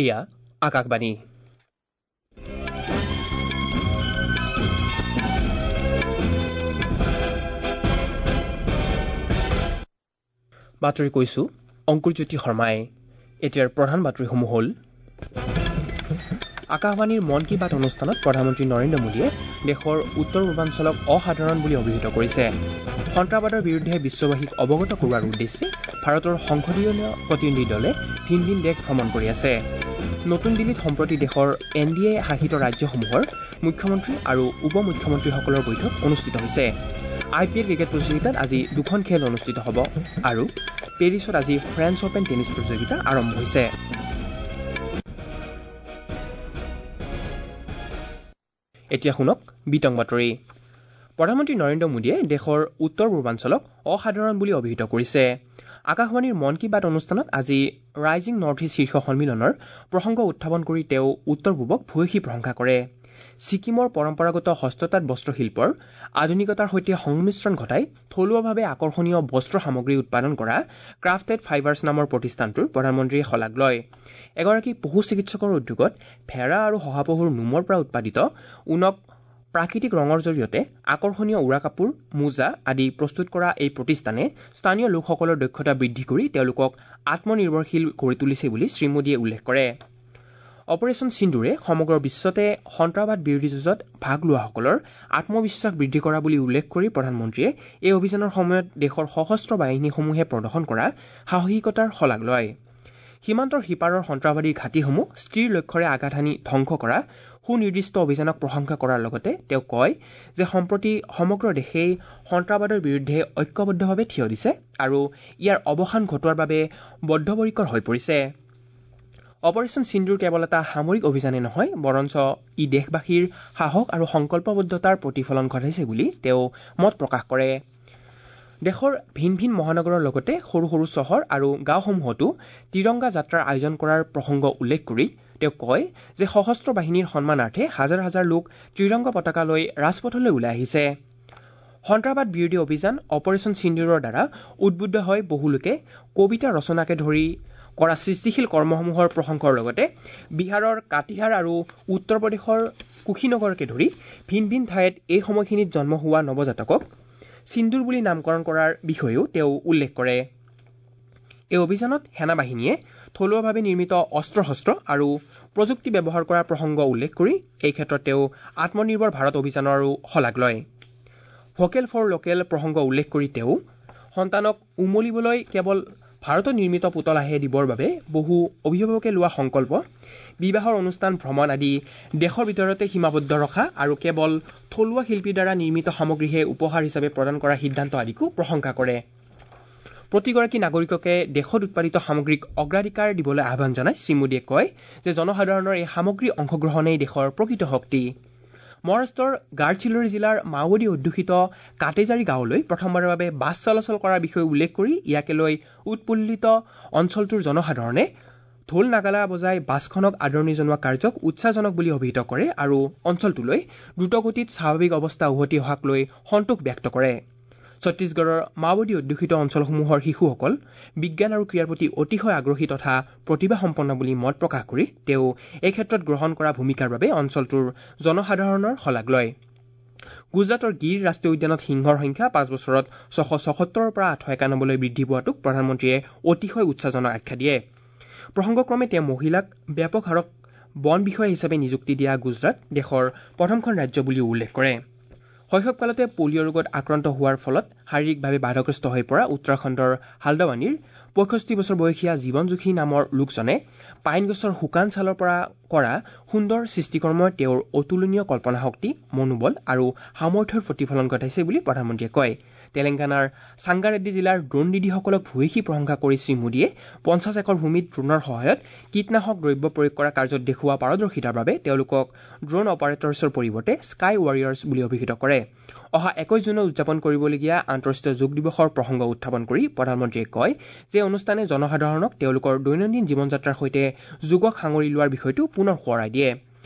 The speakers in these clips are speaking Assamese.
এয়া আকাশবাণী। বাতৰি কৈছো অংকুৰজ্যোতি শৰ্মাই। এতিয়াৰ প্ৰধান বাতৰিসমূহ হ'ল: আকাশবাণীৰ মন কী বাত অনুষ্ঠানত প্ৰধানমন্ত্ৰী নৰেন্দ্ৰ মোদীয়ে দেশৰ উত্তৰ পূৰ্বাঞ্চলক অসাধাৰণ বুলি অভিহিত কৰিছে। সন্ত্ৰাসবাদৰ বিৰুদ্ধে বিশ্ববাসীক অৱগত কৰোৱাৰ উদ্দেশ্যে ভাৰতৰ সংসদীয় প্ৰতিনিধি দলে ভিন ভিন দেশ ভ্ৰমণ কৰি আছে। নতুন দিল্লীত সম্প্ৰতি দেশৰ এন ডি এ শাসিত ৰাজ্যসমূহৰ মুখ্যমন্ত্ৰী আৰু উপ মুখ্যমন্ত্ৰীসকলৰ বৈঠক অনুষ্ঠিত হৈছে। আই পি এল ক্ৰিকেট প্ৰতিযোগিতাত আজি দুখন খেল অনুষ্ঠিত হ'ব আৰু পেৰিছত আজি ফ্ৰেঞ্চ অপেন টেনিছ প্ৰতিযোগিতা আৰম্ভ হৈছে। এতিয়া শুনক বিতং বাতৰি। প্ৰধানমন্ত্ৰী নৰেন্দ্ৰ মোদীয়ে দেশৰ উত্তৰ পূৰ্বাঞ্চলক অসাধাৰণ বুলি অভিহিত কৰিছে। আকাশবাণীৰ মন কী বাত অনুষ্ঠানত আজি ৰাইজিং নৰ্থ ইষ্ট শীৰ্ষ সন্মিলনৰ প্ৰসংগ উত্থাপন কৰি তেওঁ উত্তৰ পূবক ভূয়সী প্ৰশংসা কৰে। ছিকিমৰ পৰম্পৰাগত হস্ততাঁত বস্ত্ৰশিল্পৰ আধুনিকতাৰ সৈতে সংমিশ্ৰণ ঘটাই থলুৱাভাৱে আকৰ্ষণীয় বস্ত্ৰ সামগ্ৰী উৎপাদন কৰা ক্ৰাফটেড ফাইবাৰ্ছ নামৰ প্ৰতিষ্ঠানটোৰ প্ৰধানমন্ত্ৰীয়ে শলাগ লয়। এগৰাকী পশু চিকিৎসকৰ উদ্যোগত ভেড়া আৰু শহাপহুৰ নোমৰ পৰা উৎপাদিত ঊণক প্ৰাকৃতিক ৰঙৰ জৰিয়তে আকৰ্ষণীয় উৰা কাপোৰ, মোজা আদি প্ৰস্তুত কৰা এই প্ৰতিষ্ঠানে স্থানীয় লোকসকলৰ দক্ষতা বৃদ্ধি কৰি তেওঁলোকক আত্মনিৰ্ভৰশীল কৰি তুলিছে বুলি শ্ৰীমোদীয়ে উল্লেখ কৰে। অপাৰেচন সিন্দুৰে সমগ্ৰ বিশ্বতে সন্ত্ৰাসবাদ বিৰোধী যুঁজত ভাগ লোৱাসকলৰ আত্মবিশ্বাস বৃদ্ধি কৰা বুলি উল্লেখ কৰি প্ৰধানমন্ত্ৰীয়ে এই অভিযানৰ সময়ত দেশৰ সশস্ত্ৰ বাহিনীসমূহে প্ৰদৰ্শন কৰা সাহসিকতাৰ শলাগ লয়। সীমান্তৰ সিপাৰৰ সন্ত্ৰাসবাদীৰ ঘাটিসমূহ স্থিৰ লক্ষ্যৰে আঘাত হানি ধ্বংস কৰা সুনিৰ্দিষ্ট অভিযানক প্ৰশংসা কৰাৰ লগতে তেওঁ কয় যে সম্প্ৰতি সমগ্ৰ দেশেই সন্ত্ৰাসবাদৰ বিৰুদ্ধে ঐক্যবদ্ধভাৱে থিয় দিছে আৰু ইয়াৰ অৱসান ঘটোৱাৰ বাবে বদ্ধপৰিকৰ হৈ পৰিছে। অপাৰেচন সিন্দুৰ কেৱল এটা সামৰিক অভিযানেই নহয়, বৰঞ্চ ই দেশবাসীৰ সাহস আৰু সংকল্পবদ্ধতাৰ প্ৰতিফলন ঘটাইছে বুলি তেওঁ মত প্ৰকাশ কৰে। দেশৰ ভিন ভিন মহানগৰৰ লগতে সৰু সৰু চহৰ আৰু গাঁওসমূহতো তিৰংগা যাত্ৰাৰ আয়োজন কৰাৰ প্ৰসংগ উল্লেখ কৰি তেওঁ কয় যে সশস্ত্ৰ বাহিনীৰ সন্মানাৰ্থে হাজাৰ হাজাৰ লোক ত্ৰিৰংগা পতাকা লৈ ৰাজপথলৈ ওলাই আহিছে। সন্ত্ৰাসবাদ বিৰোধী অভিযান অপাৰেচন সিন্দুৰৰ দ্বাৰা উদ্বুদ্ধ হৈ বহু লোকে কবিতা ৰচনাকে ধৰি কৰা সৃষ্টিশীল কৰ্মসমূহৰ প্ৰশংসাৰ লগতে বিহাৰৰ কাটিহাৰ আৰু উত্তৰ প্ৰদেশৰ কুশীনগৰকে ধৰি ভিন ভিন ঠাইত এই সময়খিনিত জন্ম হোৱা নৱজাতকক সিন্দুৰ বুলি নামকৰণ কৰাৰ বিষয়েও তেওঁ উল্লেখ কৰে। এই অভিযানত সেনাবাহিনীয়ে থলুৱাভাৱে নিৰ্মিত অস্ত্ৰ শস্ত্ৰ আৰু প্ৰযুক্তি ব্যৱহাৰ কৰাৰ প্ৰসংগ উল্লেখ কৰি এই ক্ষেত্ৰত তেওঁ আত্মনিৰ্ভৰ ভাৰত অভিযানৰো শলাগ লয়। ভোকেল ফৰ লোকেল প্ৰসংগ উল্লেখ কৰি তেওঁ সন্তানক উমলিবলৈ কেৱল ভাৰতত নিৰ্মিত পুতলাহে দিবৰ বাবে বহু অভিভাৱকে লোৱা সংকল্প, বিবাহৰ অনুষ্ঠান, ভ্ৰমণ আদি দেশৰ ভিতৰতে সীমাবদ্ধ ৰখা আৰু কেৱল থলুৱা শিল্পীৰ দ্বাৰা নিৰ্মিত সামগ্ৰীহে উপহাৰ হিচাপে প্ৰদান কৰা সিদ্ধান্ত আদিকো প্ৰশংসা কৰে। প্ৰতিগৰাকী নাগৰিককে দেশত উৎপাদিত সামগ্ৰীক অগ্ৰাধিকাৰ দিবলৈ আহ্বান জনাই শ্ৰীমোদীয়ে কয় যে জনসাধাৰণৰ এই সামগ্ৰী অংশগ্ৰহণেই দেশৰ প্ৰকৃত শক্তি। মহাৰাষ্ট্ৰৰ গাড়চিলোৰী জিলাৰ মাওবাদী অধ্যুষিত কাটেজাৰী গাঁৱলৈ প্ৰথমবাৰৰ বাবে বাছ চলাচল কৰাৰ বিষয়ে উল্লেখ কৰি ইয়াকে লৈ উৎফুল্লিত অঞ্চলটোৰ জনসাধাৰণে ঢোল নাগালা বজাই বাছখনক আদৰণি জনোৱা কাৰ্যক উৎসাহজনক বুলি অভিহিত কৰে আৰু অঞ্চলটোলৈ দ্ৰুতগতিত স্বাভাৱিক অৱস্থা উভতি অহাক লৈ সন্তোষ ব্যক্ত কৰে। ছত্তীশগড়ৰ মাওবাদী অধ্যুষিত অঞ্চলসমূহৰ শিশুসকল বিজ্ঞান আৰু ক্ৰীড়াৰ প্ৰতি অতিশয় আগ্ৰহী তথা প্ৰতিভাসম্পন্ন বুলি মত প্ৰকাশ কৰি তেওঁ এই ক্ষেত্ৰত গ্ৰহণ কৰা ভূমিকাৰ বাবে অঞ্চলটোৰ জনসাধাৰণৰ শলাগ লয়। গুজৰাটৰ গিৰ ৰাষ্ট্ৰীয় উদ্যানত সিংহৰ সংখ্যা 5 বছৰত 676ৰ পৰা 891লৈ বৃদ্ধি পোৱাটোক প্ৰধানমন্ত্ৰীয়ে অতিশয় উৎসাহজনক আখ্যা দিয়ে। প্ৰসংগক্ৰমে তেওঁ মহিলাক ব্যাপক হাৰত বন বিষয়া হিচাপে নিযুক্তি দিয়া গুজৰাট দেশৰ প্ৰথমখন ৰাজ্য বুলিও উল্লেখ কৰে। শৈশৱকালতে পলিঅ' ৰোগত আক্ৰান্ত হোৱাৰ ফলত শাৰীৰিকভাৱে বাধাগ্ৰস্ত হৈ পৰা উত্তৰাখণ্ডৰ হালদাৱানীৰ 65 বছৰ বয়সীয়া জীৱন যোশী নামৰ লোকজনে পাইন গছৰ শুকান ছালৰ পৰা কৰা সুন্দৰ সৃষ্টিকৰ্মই তেওঁৰ অতুলনীয় কল্পনাশক্তি, মনোবল আৰু সামৰ্থ্যৰ প্ৰতিফলন ঘটাইছে বুলি প্ৰধানমন্ত্ৰীয়ে কয়। তেলেংগানাৰ সাংগাৰেড্ডী জিলাৰ ড্ৰোন দিদিসকলক ভূয়সী প্ৰশংসা কৰি শ্ৰীমোদীয়ে 50 একৰ ভূমিত ড্ৰোনৰ সহায়ত কীটনাশক দ্ৰব্য প্ৰয়োগ কৰা কাৰ্যত দেখুওৱা পাৰদৰ্শিতাৰ বাবে তেওঁলোকক ড্ৰোন অপাৰেটৰ্ছৰ পৰিৱৰ্তে স্কাই ৱাৰিয়াৰ্ছ বুলি অভিহিত কৰে। অহা 21 জুনত উদযাপন কৰিবলগীয়া আন্তঃৰাষ্ট্ৰীয় যোগ দিৱসৰ প্ৰসংগ উত্থাপন কৰি প্ৰধানমন্ত্ৰীয়ে কয় যে অনুষ্ঠানে জনসাধাৰণক তেওঁলোকৰ দৈনন্দিন জীৱন যাত্ৰাৰ সৈতে যোগক সাঙুৰি লোৱাৰ বিষয়টো পুনৰ সোঁৱৰাই দিয়ে।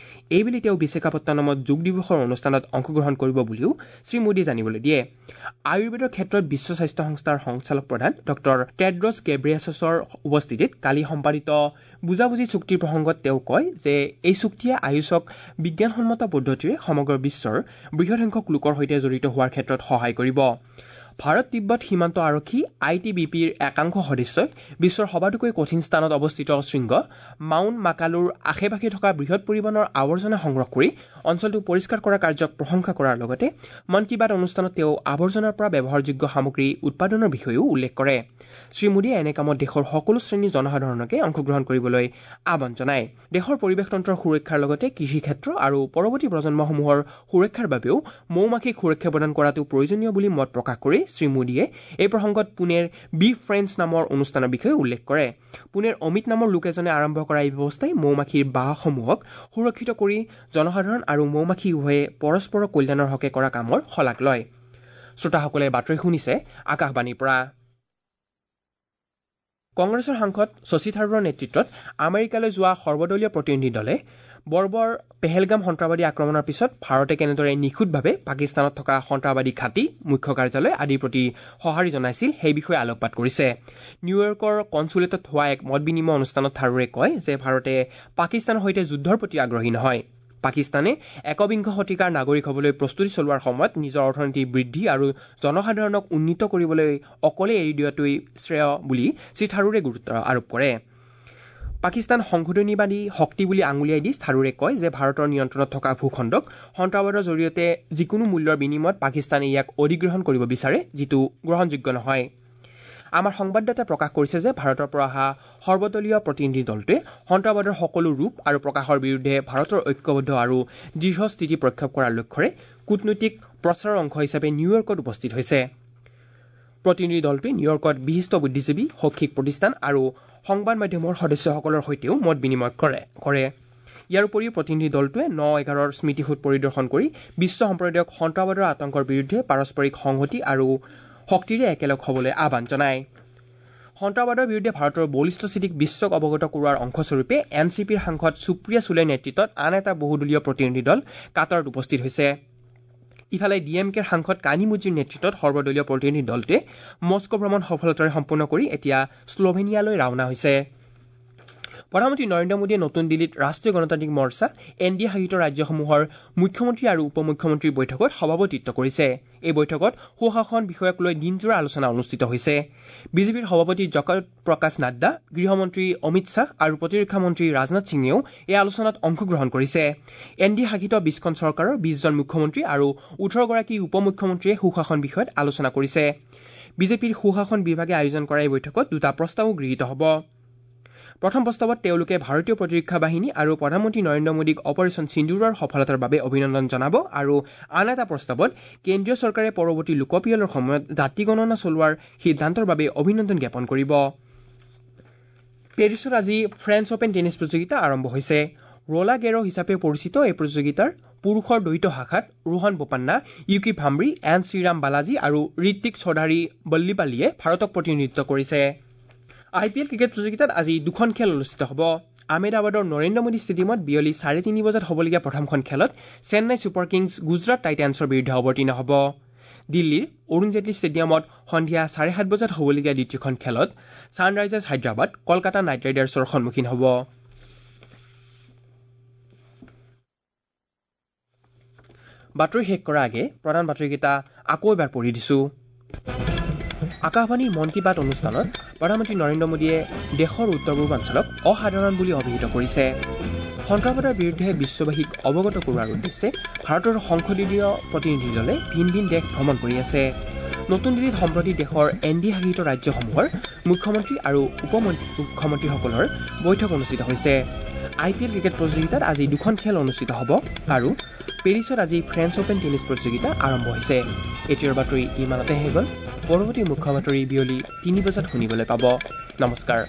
এইবেলি তেওঁ বিশাখাপট্টনমত যোগ দিৱসৰ অনুষ্ঠানত অংশগ্ৰহণ কৰিব বুলিও শ্ৰীমোদীয়ে জানিবলৈ দিয়ে। আয়ুৰ্বেদৰ ক্ষেত্ৰত বিশ্ব স্বাস্থ্য সংস্থাৰ সঞ্চালক প্ৰধান ডঃ টেড্ৰছ গেব্ৰিয়াছছৰ উপস্থিতিত কালি সম্পাদিত বুজাবুজি চুক্তিৰ প্ৰসংগত তেওঁ কয় যে এই চুক্তিয়ে আয়ুষক বিজ্ঞানসন্মত পদ্ধতিৰে সমগ্ৰ বিশ্বৰ বৃহৎ সংখ্যক লোকৰ সৈতে জড়িত হোৱাৰ ক্ষেত্ৰত সহায় কৰিব। ভাৰত তিব্বত সীমান্ত আৰক্ষী I T B পিৰ একাংশ সদস্যই বিশ্বৰ সবাতোকৈ কঠিন স্থানত অৱস্থিত শৃংগ মাউণ্ট মাকালুৰ আশে পাশে থকা বৃহৎ পৰিমাণৰ আৱৰ্জনা সংগ্ৰহ কৰি অঞ্চলটো পৰিষ্কাৰ কৰা কাৰ্যক প্ৰশংসা কৰাৰ লগতে মন কী বাত অনুষ্ঠানত তেওঁ আৱৰ্জনাৰ পৰা ব্যৱহাৰযোগ্য সামগ্ৰী উৎপাদনৰ বিষয়েও উল্লেখ কৰে। শ্ৰীমোদীয়ে এনে কামত দেশৰ সকলো শ্ৰেণীৰ জনসাধাৰণকে অংশগ্ৰহণ কৰিবলৈ আহ্বান জনায়। দেশৰ পৰিৱেশতন্ত্ৰৰ সুৰক্ষাৰ লগতে কৃষি ক্ষেত্ৰ আৰু পৰৱৰ্তী প্ৰজন্মসমূহৰ সুৰক্ষাৰ বাবেও মৌ মাখিক সুৰক্ষা প্ৰদান কৰাটো প্ৰয়োজনীয় বুলি মত প্ৰকাশ কৰি শ্ৰীমোদীয়ে এই প্ৰসংগত পুনেৰ বি ফ্ৰেণ্ডছ নামৰ অনুষ্ঠানৰ বিষয়ে উল্লেখ কৰে। পুনেৰ অমিত নামৰ লোক এজনে আৰম্ভ কৰা এই ব্যৱস্থাই মৌ মাখিৰ বাহসমূহক সুৰক্ষিত কৰি জনসাধাৰণ আৰু মৌ মাখি উভয়ে পৰস্পৰৰ কল্যাণৰ হকে কৰা কামৰ শলাগ লয়। শ্ৰোতাসকলে বাতৰি শুনিছে আকাশবাণীৰ পৰা। কংগ্ৰেছৰ সাংসদ শশী থাৰুৰৰ নেতৃত্বত আমেৰিকালৈ যোৱা সৰ্বদলীয় প্ৰতিনিধি দলে বৰ্বৰ পেহেলগাম সন্ত্ৰাসবাদী আক্ৰমণৰ পিছত ভাৰতে কেনেদৰে নিখুঁতভাৱে পাকিস্তানত থকা সন্ত্ৰাসবাদী ঘাটি, মুখ্য কাৰ্যালয় আদিৰ প্ৰতি সঁহাৰি জনাইছিল সেই বিষয়ে আলোকপাত কৰিছে। নিউয়ৰ্কৰ কনচুলেটত হোৱা এক মত বিনিময় অনুষ্ঠানত থাৰুৰে কয় যে ভাৰতে পাকিস্তানৰ সৈতে যুদ্ধৰ প্ৰতি আগ্ৰহী নহয়। পাকিস্তানে একবিংশ শতিকাৰ নাগৰিক হ'বলৈ প্ৰস্তুতি চলোৱাৰ সময়ত নিজৰ অৰ্থনীতি বৃদ্ধি আৰু জনসাধাৰণক উন্নীত কৰিবলৈ অকলে এৰি দিয়াটোৱেই শ্ৰেয় বুলি শ্ৰীথাৰুৰে গুৰুত্ব আৰোপ কৰে। পাকিস্তান সংশোধনীবাদী শক্তি বুলি আঙুলিয়াই দি থাৰুৰে কয় যে ভাৰতৰ নিয়ন্ত্ৰণত থকা ভূখণ্ডক সন্ত্ৰাসবাদৰ জৰিয়তে যিকোনো মূল্যৰ বিনিময়ত পাকিস্তানে ইয়াক অধিগ্ৰহণ কৰিব বিচাৰে, যিটো গ্ৰহণযোগ্য নহয়। আমাৰ সংবাদদাতাই প্ৰকাশ কৰিছে যে ভাৰতৰ পৰা অহা সৰ্বদলীয় প্ৰতিনিধি দলটোৱে সন্ত্ৰাসবাদৰ সকলো ৰূপ আৰু প্ৰকাশৰ বিৰুদ্ধে ভাৰতৰ ঐক্যবদ্ধ আৰু দৃঢ় স্থিতি প্ৰক্ষেপ কৰাৰ লক্ষ্যৰে কূটনৈতিক প্ৰচাৰৰ অংশ হিচাপে নিউয়ৰ্কত উপস্থিত হৈছে। প্ৰতিনিধি দলটোৱে নিউয়ৰ্কত বিশিষ্ট বুদ্ধিজীৱী, শৈক্ষিক প্ৰতিষ্ঠান আৰু সংবাদ মাধ্যমৰ সদস্যসকলৰ সৈতেও মত বিনিময় কৰে। ইয়াৰ উপৰিও প্ৰতিনিধি দলটোৱে ৯/১১ স্মৃতিসৌধ পৰিদৰ্শন কৰি বিশ্ব সম্প্ৰদায়ক সন্ত্ৰাসবাদৰ আতংকৰ বিৰুদ্ধে পাৰস্পৰিক সংহতি আৰু শক্তিৰে একেলগ হ'বলৈ আহ্বান জনায়। সন্ত্ৰাসবাদৰ বিৰুদ্ধে ভাৰতৰ বলিষ্ঠ স্থিতিক বিশ্বক অৱগত কৰোৱাৰ অংশস্বৰূপে এন চি পিৰ সাংসদ সুপ্ৰিয়া চুলেৰ নেতৃত্বত আন এটা বহুদলীয় প্ৰতিনিধি দল কাটাৰত উপস্থিত হৈছে। ইফালে ডি এম কেৰ সাংসদ কানিমুজিৰ নেতৃত্বত সৰ্বদলীয় প্ৰতিনিধি দলটোৱে মস্কো ভ্ৰমণ সফলতাৰে সম্পূৰ্ণ কৰি এতিয়া শ্লোভেনিয়ালৈ ৰাওনা হৈছে। প্ৰধানমন্ত্ৰী নৰেন্দ্ৰ মোদীয়ে নতুন দিল্লীত ৰাষ্ট্ৰীয় গণতান্ত্ৰিক মৰ্চা এন ডি এ শাসিত ৰাজ্যসমূহৰ মুখ্যমন্ত্ৰী আৰু উপ মুখ্যমন্ত্ৰীৰ বৈঠকত সভাপতিত্ব কৰিছে। এই বৈঠকত সুশাসন বিষয়ক লৈ দিনজোৰা আলোচনা অনুষ্ঠিত হৈছে। বিজেপিৰ সভাপতি জগত প্ৰকাশ নাড্ডা, গৃহমন্ত্ৰী অমিত শ্বাহ আৰু প্ৰতিৰক্ষা মন্ত্ৰী ৰাজনাথ সিঙেও এই আলোচনাত অংশগ্ৰহণ কৰিছে। এন ডি এ শাসিত ২০খন চৰকাৰৰ ২০জন মুখ্যমন্ত্ৰী আৰু ১৮গৰাকী উপ মুখ্যমন্ত্ৰীয়ে সুশাসন বিষয়ত আলোচনা কৰিছে। বিজেপিৰ সুশাসন বিভাগে আয়োজন কৰা এই বৈঠকত দুটা প্ৰস্তাৱো গৃহীত হ'ব। প্ৰথম প্ৰস্তাৱত তেওঁলোকে ভাৰতীয় প্ৰতিৰক্ষা বাহিনী আৰু প্ৰধানমন্ত্ৰী নৰেন্দ্ৰ মোদীক অপাৰেচন সিন্দুৰৰ সফলতাৰ বাবে অভিনন্দন জনাব আৰু আন এটা প্ৰস্তাৱত কেন্দ্ৰীয় চৰকাৰে পৰৱৰ্তী লোকপিয়লৰ সময়ত জাতি গণনা চলোৱাৰ সিদ্ধান্তৰ বাবে অভিনন্দন জ্ঞাপন কৰিব। পেৰিছত আজি ফ্ৰেঞ্চ অপেন টেনিছ প্ৰতিযোগিতা আৰম্ভ হৈছে। ৰোলা গেৰ' হিচাপে পৰিচিত এই প্ৰতিযোগিতাৰ পুৰুষৰ দ্বৈত শাখাত ৰোহন বোপান্না, ইউকি ভাম্ব্ৰি, এন শ্ৰীৰাম বালাজী আৰু ঋত্বিক চৌধাৰী বল্লিপাল্লীয়ে ভাৰতক প্ৰতিনিধিত্ব কৰিছে। আই পি এল ক্ৰিকেট প্ৰতিযোগিতাত আজি দুখন খেল অনুষ্ঠিত হ'ব। আহমেদাবাদৰ নৰেন্দ্ৰ মোদী ষ্টেডিয়ামত বিয়লি ৩:৩০ বজাত হ'বলগীয়া প্ৰথমখন খেলত চেন্নাই ছুপাৰ কিংছ গুজৰাট টাইটানছৰ বিৰুদ্ধে অৱতীৰ্ণ হ'ব। দিল্লীৰ অৰুণ জেটলী ষ্টেডিয়ামত সন্ধিয়া ৭:৩০ বজাত হ'বলগীয়া দ্বিতীয়খন খেলত ছানৰাইজাৰ্ছ হায়দৰাবাদ কলকাতা নাইট ৰাইডাৰ্ছৰ সন্মুখীন হ'ব। বাতৰি শেষ কৰাৰ আগে প্ৰধান বাতৰিকেইটা আকৌ এবাৰ পঢ়ি দিছো। আকাশবাণীৰ মন কী বাত অনুষ্ঠানত প্ৰধানমন্ত্ৰী নৰেন্দ্ৰ মোদীয়ে দেশৰ উত্তৰ পূৰ্বাঞ্চলক অসাধাৰণ বুলি অভিহিত কৰিছে। সন্ত্ৰাসবাদৰ বিৰুদ্ধে বিশ্ববাসীক অৱগত কৰোৱাৰ উদ্দেশ্যে ভাৰতৰ সংসদীয় প্ৰতিনিধি দলে ভিন ভিন দেশ ভ্ৰমণ কৰি আছে। নতুন দিল্লীত সম্প্ৰতি দেশৰ এন ডি এ শাসিত ৰাজ্যসমূহৰ মুখ্যমন্ত্ৰী আৰু উপ মুখ্যমন্ত্ৰীসকলৰ বৈঠক অনুষ্ঠিত হৈছে। আই পি এল ক্ৰিকেট প্ৰতিযোগিতাত আজি দুখন খেল অনুষ্ঠিত হ'ব আৰু পেৰিছত আজি ফ্ৰেঞ্চ অপেন টেনিছ প্ৰতিযোগিতা আৰম্ভ হৈছে। এতিয়াৰ বাতৰি ইমানতে শেষ হ'ল। পৰৱৰ্তী মুখ্য বাতৰি বিয়লি ৩ বজাত শুনিবলৈ পাব। নমস্কাৰ।